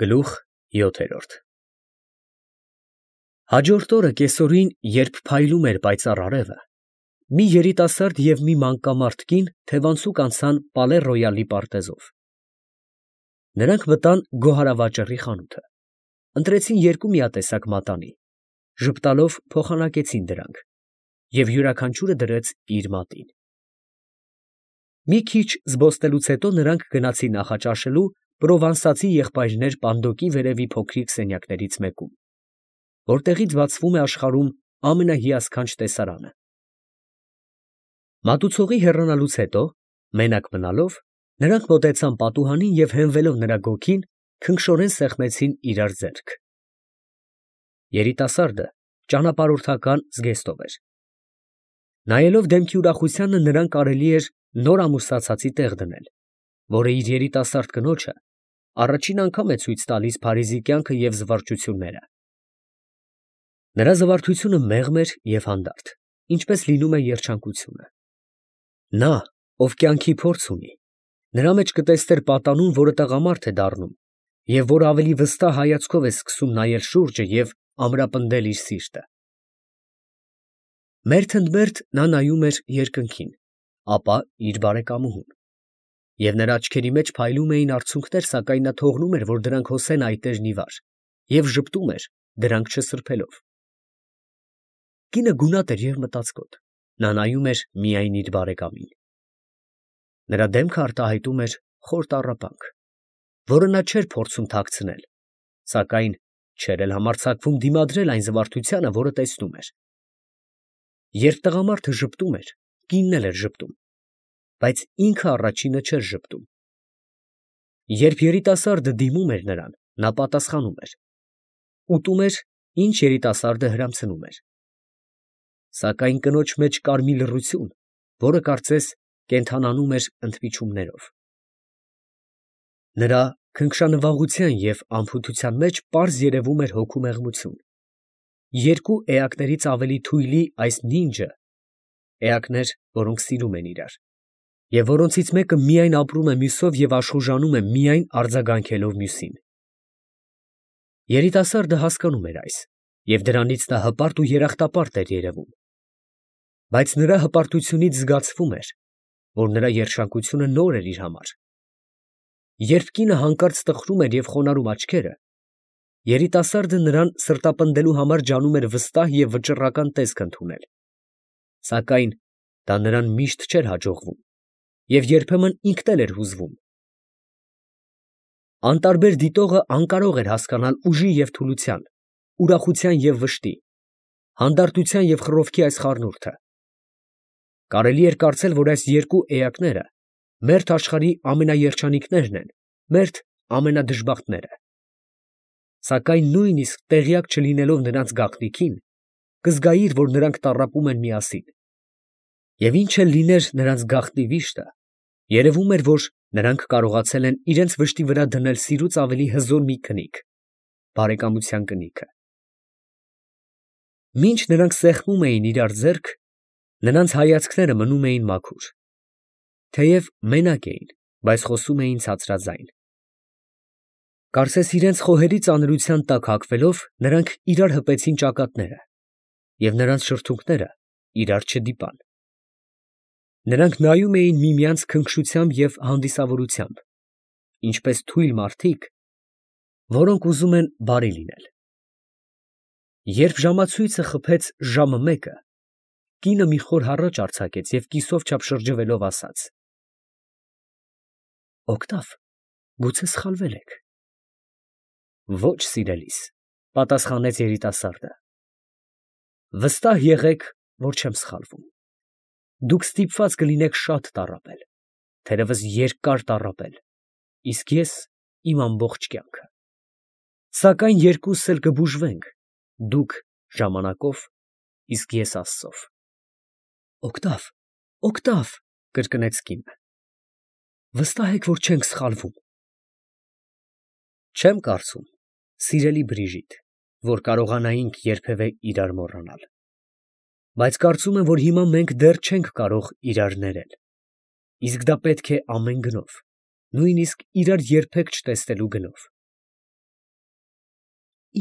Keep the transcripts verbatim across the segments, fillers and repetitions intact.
Գլուխ յոթերորդ Հաջորդ օրը կեսօրին, երբ փայլում էր պայծառ արևը, մի երիտասարդ և մի մանկամարդ կին թևանցուկ անցան Պալե Ռոյալի պարտեզով. նրանք մտան գոհարավաճառի խանութը, ընտրեցին երկու միատեսակ մատանի, ժպտալով փոխանակեցին դրանք, և յուրաքանչյուրը դրեց իր մատին. մի քիչ զբոսնելուց հետո նրանք գնացին նախաճաշելու պրովանսացի եղբայրներ Պանդոկի վերևի փոքրիկ սենյակներից մեկում, որտեղից բացվում է աշխարհում ամենահիասքանչ տեսարանը. մատուցողի հեռանալուց հետո, մենակ մնալով, նրանք մոտեցան պատուհանին և հենվելով նրա գոգին, քնքշորեն սեղմեցին իրար ձեռք. երիտասարդը ճանապարհորդական զգեստով էր. նայելով դեմքի ուրախությանը, նրան կարելի էր նոր ամուսնացածի տեղ դնել, որը իր երիտասարդ կնոջը առաջին անգամ է ցույց տալիս Փարիզի կյանքը և զվարճությունները. նրա զվարթությունը մեղմ էր և հանդարտ, ինչպես լինում է երջանկությունը. նա, ով կյանքի փորձ ունի, նրա մեջ կտեսներ պատանուն, որը տղամարդ է դառնում, և որ ավելի վստահ հայացքով է սկսում նայել շուրջը և ամրապնդել իր սիրտը. մերթ ընդ մերթ նա նայում էր երկնքին, ապա իր բարեկամուհուն, և նրա աչքերի մեջ փայլում էին արցունքներ, սակայն նա թողնում էր, որ դրանք հոսեն այտերն ի վար, և ժպտում էր, դրանք չսրբելով. կինը գունատ էր և մտածկոտ, նա նայում էր միայն իր բարեկամին. նրա դեմքը արտահայտում էր խոր տառապանք, որը նա չէր փորձում թաքցնել, սակայն չէր էլ համարձակվում դիմադրել այն զվարթությանը, որը տեսնում էր. երբ տղամարդը ժպտում էր, կինն էլ էր ժպտում, բայց ինքը առաջինը չէր ժպտում. երբ երիտասարդը դիմում էր նրան, նա պատասխանում էր, ուտում էր, ինչ երիտասարդը հրամցնում էր. սակայն կնոջ մեջ կար մի լռություն, որը կարծես կենդանանում էր ընդմիջումներով. նրա քնքշանվաղության և անփութության մեջ պարզ երևում էր հոգու մեղմություն. երկու էակներից ավելի թույլի այս նինջը էակներ, որոնք սիրում են իրար, և որոնցից մեկը միայն ապրում է մյուսով և աշխուժանում է միայն արձագանքելով մյուսին. երիտասարդը հասկանում էր այս, և դրանից նա հպարտ ու երախտապարտ էր երևում, բայց նրա հպարտությունից զգացվում էր, որ նրա երջանկությունը նոր էր իր համար. երբ կինը հանկարծ տխրում էր և խոնարհում աչքերը, երիտասարդը նրան սրտապնդելու համար ջանում էր վստահ և վճռական տեսք ընդունել, սակայն դա նրան միշտ չէր հաջողվում, և երբեմն ինքն էլ էր հուզվում. անտարբեր դիտողը անկարող էր հասկանալ ուժի և թուլության, ուրախության և վշտի, հանդարտության և խռովքի այս խառնուրդը. կարելի էր կարծել, որ այս երկու էակները մերթ աշխարհի ամենաերջանիկներն են, մերթ ամենադժբախտները, սակայն նույնիսկ տեղյակ չլինելով նրանց գաղտնիքին, կզգայիր, որ նրանք տառապում են միասին, և ինչ էլ լիներ նրանց գաղտնի վիշտը, երևում էր, որ նրանք կարողացել են իրենց վշտի վրա դնել սիրուց ավելի հզոր մի քնիկ, բարեկամության կնիքը. մինչ նրանք սեղմում էին իրար ձեռք, նրանց հայացքները մնում էին մաքուր, թեև մենակ էին, բայց խոսում էին ցածրաձայն. կարծես իրենց խոհերի ծանրության տակ հագվելով, նրանք իրար հպեցին ճակատները, և նրանց շրթունքները իրար չդիպան. նրանք նայում էին միմյանց քնքշությամբ և հանդիսավորությամբ, ինչպես թույլ մարդիկ, որոնք ուզում են բարի լինել. երբ ժամացույցը խփեց ժամը մեկը, կինը մի խոր հառաչ արձակեց և կիսով չափ շրջվելով ասաց. օգտավ, գուցե սխալվել եք. ոչ, սիրելիս, պատասխանեց երիտասարդը, վստահ եղեք, որ չեմ սխալվում. դուք ստիպված կլինեք շատ տառապել, թերևս երկար տառապել, իսկ ես իմ ամբողջ կյանքը, սակայն երկուսս էլ կբուժվենք, դուք ժամանակով, իսկ ես Աստծով. օգտավ, օգտավ, կրկնեց կինը, վստահ եք, որ չենք սխալվում. չեմ կարծում, սիրելի Բրիժիտ, որ կարողանայինք երբևէ իրար մոռանալ, բայց կարծում եմ, որ հիմա մենք դեռ չենք կարող իրար ներել, իսկ դա պետք է ամեն գնով, նույնիսկ իրար երբեք չտեսնելու գնով.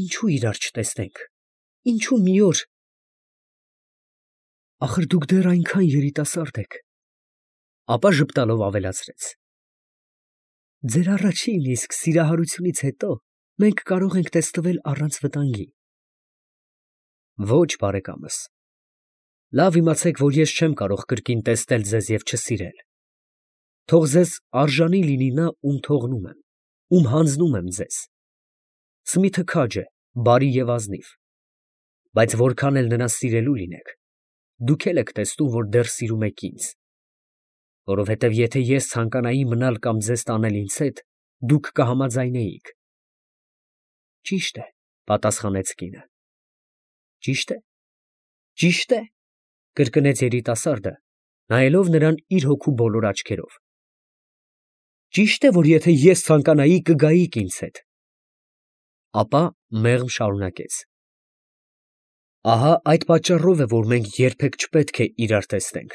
Ինչու իրար չտեսնենք, ինչու մի օր… Ախր դուք դեռ այնքան երիտասարդ եք… Ապա ժպտալով ավելացրեց. ձեր առաջին իսկ սիրահարությունից հետո մենք կարող ենք տեսնվել առանց վտանգի… Ոչ, բարեկամս, լավ իմացեք, որ ես չեմ կարող կրկին տեսնել ձեզ և չսիրել… Թող ձեզ արժանի լինի նա, ում թողնում եմ, ում հանձնում եմ ձեզ… Սմիթը քաջ է, բարի և ազնիվ… Բայց որքան էլ նրան սիրելու լինեք, դուք էլ եք տեսնում, որ դեռ սիրում եք ինձ… Որովհետև եթե ես ցանկանայի մնալ կամ ձեզ տանել ինձ հետ, դուք կհամաձայնեիք… ֊ Ճիշտ է, ֊ պատասխանեց կինը։ ֊ Ճիշտ է, ճիշտ է, ֊ կրկնեց երիտասարդը, նայելով նրան իր հոգու բոլոր աչքերով։ ֊ Ճիշտ է, որ եթե ես ցանկանայի, կգայիք ինձ հետ… Ապա մեղմ շարունակեց. ահա այդ պատճառով է, որ մենք երբեք չպետք է իրար տեսնենք…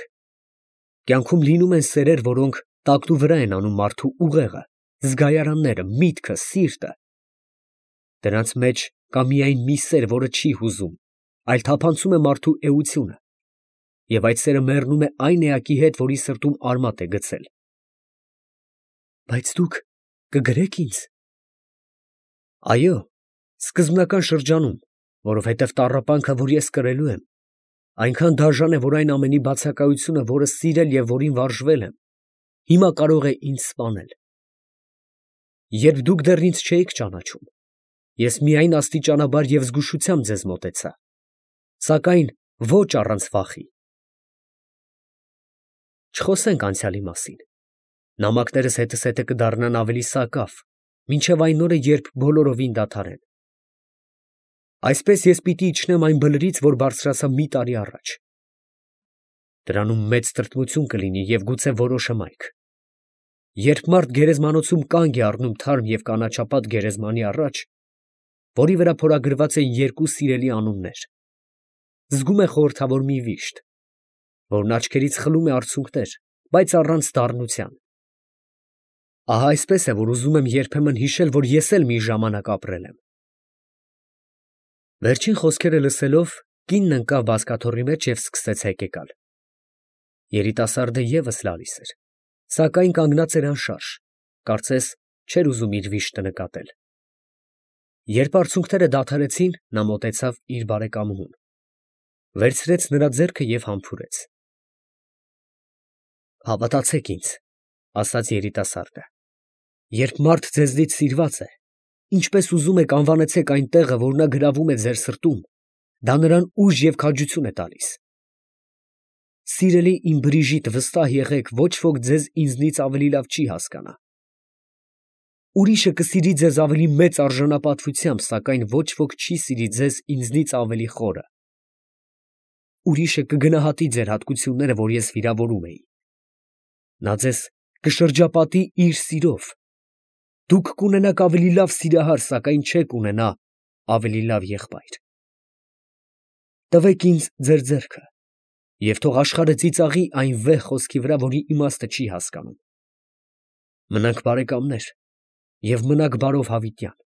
Կյանքում լինում են սերեր, որոնք տակնուվրա են անում մարդու ուղեղը, զգայարանները, միտքը, սիրտը… Դրանց մեջ կա միայն մի սեր, որը չի հուզում, այլ թափանցում է մարդու էությունը, և այդ սերը մեռնում է այն էակի հետ, որի սրտում արմատ է գցել… ֊ Բայց դուք կգրե՞ք ինձ… ֊ Այո, սկզբնական շրջանում, որովհետև տառապանքը, որ ես կրելու եմ, այնքան դաժան է, որ այն ամենի բացակայությունը, որը սիրել և որին վարժվել եմ, հիմա կարող է ինձ սպանել… Երբ դուք դեռ ինձ չէիք ճանաչում, ես միայն աստիճանաբար և զգուշությամբ ձեզ մոտեցա, սակայն ոչ առանց վախի… Չխոսենք անցյալի մասին… Նամակներս հետզհետե կդառնան ավելի սակավ, մինչև այն օրը, երբ բոլորովին դադարեն… Այսպես ես պիտի իջնեմ այն բլրից, որ բարձրացա մի տարի առաջ… Դրանում մեծ տրտմություն կլինի և գուցե որոշ հմայք… Երբ մարդ գերեզմանոցում կանգ է առնում թարմ և կանաչապատ գերեզմանի առաջ, որի վրա փորագրված են երկու սիրելի անուններ, զգում է խորհրդավոր մի վիշտ, որն աչքերից խլում է արցունքներ, բայց առանց դառնության… Ահա այսպես է, որ ուզում եմ երբեմն հիշել, որ ես էլ մի ժամանակ ապրել եմ… Վերջին խոսքերը լսելով, կինն ընկավ բազկաթոռի մեջ և սկսեց հեկեկալ… Երիտասարդը ևս լալիս էր, սակայն կանգնած էր անշարժ, կարծես չէր ուզում իր վիշտը նկատել… Երբ արցունքները դադարեցին, նա մոտեցավ իր բարեկամուհուն, վերցրեց նրա ձեռքը և համբուրեց… ֊ Հավատացեք ինձ, ֊ ասաց երիտասարդը, ֊ երբ մարդ ձեզնից սիրված է, ինչպես ուզում եք անվանեցեք այն տեղը, որ նա գրավում է ձեր սրտում, դա նրան ուժ և քաջություն է տալիս… Սիրելի իմ Բրիժիտ, վստահ եղեք, ոչ ոք ձեզ ինձնից ավելի լավ չի հասկանա… Ուրիշը կսիրի ձեզ ավելի մեծ արժանապատվությամբ, սակայն ոչ ոք չի սիրի ձեզ ինձնից ավելի խորը… Ուրիշը կգնահատի ձեր հատկությունները, որ ես վիրավորում էի… Նա ձեզ կշրջապատի իր սիրով… Դուք կունենաք ավելի լավ սիրահար, սակայն չեք ունենա ավելի լավ եղբայր… Տվեք ինձ ձեր ձեռքը և թող աշխարհը ծիծաղի այն վեհ խոսքի վրա, որի իմաստը չի հասկանում… Մնանք բարեկամներ և մնաք բարով հավիտյան…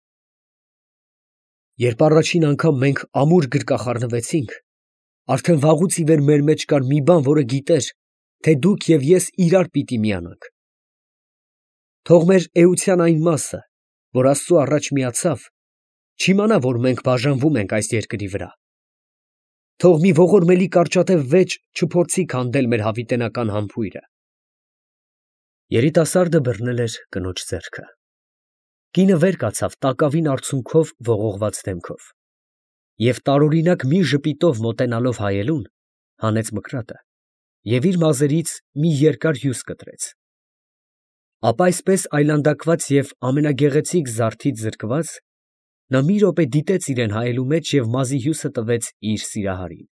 Երբ առաջին անգամ մենք ամուր գրկախառնվեցինք, արդեն վաղուց ի վեր մեր մեջ կար մի բան, որը գիտեր, թե դուք և ես իրար պիտի միանանք… Թող մեր էության այն մասը, որ Աստծու առաջ միացավ, չիմանա, որ մենք բաժանվում ենք այս երկրի վրա… Թող մի ողորմելի կարճատև վեճ չփորձի քանդել մեր հավիտենական համբույրը… Երիտասարդը բռնել էր կնոջ ձեռքը… Կինը վեր կացավ տակավին արցունքով ողողված դեմքով և տարօրինակ մի ժպիտով մոտենալով հայելուն, հանեց մկրատը և իր մազերից մի երկար հյուս կտրեց… Ապա այսպես այլանդակված և ամենագեղեցիկ զարդից զրկված, նա մի րոպե դիտեց իրան հայելու մեջ և մազի հյուսը տվեց իր սիրահարին…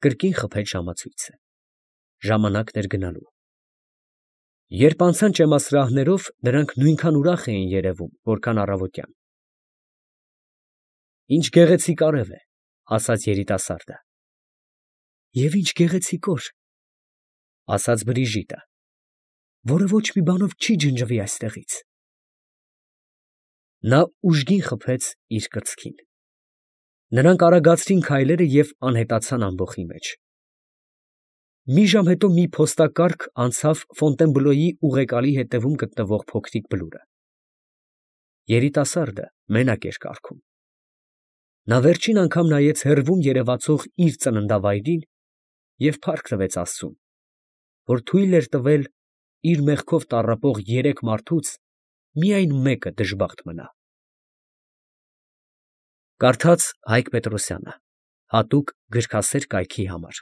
Կրկին խփեց ժամացույցը… Ժամանակն էր գնալու… Երբ անցան ճեմասրահներով, նրանք նույնքան ուրախ էին երևում, որքան առավոտյան… Ինչ գեղեցիկ արև է, ֊ ասաց երիտասարդը։ ֊ Եվ ինչ գեղեցիկ օր, ֊ ասաց Բրիժիտը, որը ոչ մի բանով չի ջնջվի այստեղից… Նա ուժգին խփեց իր կրծքին։ Նրանք արագացրին քայլերը և անհետացան ամբոխի մեջ։ Մի ժամ հետո մի փոստակառք անցավ Ֆոնտենբլոյի ուղեկալի հետևում գտնվող փոքրիկ բլուրը։ Երիտասարդը մենակ էր կառքում։ Նա վերջին անգամ նայեց հեռվում երևացող իր ծննդավայրին և փառք տվեց աստծուն, որ թույլ էր տվել իր մեղքով տառապող երեք մարդուց միայն մեկը դժբախտ մնա։ Կարդաց Հայկ Պետրոսյանը, հատուկ գրքասեր կայքի համար։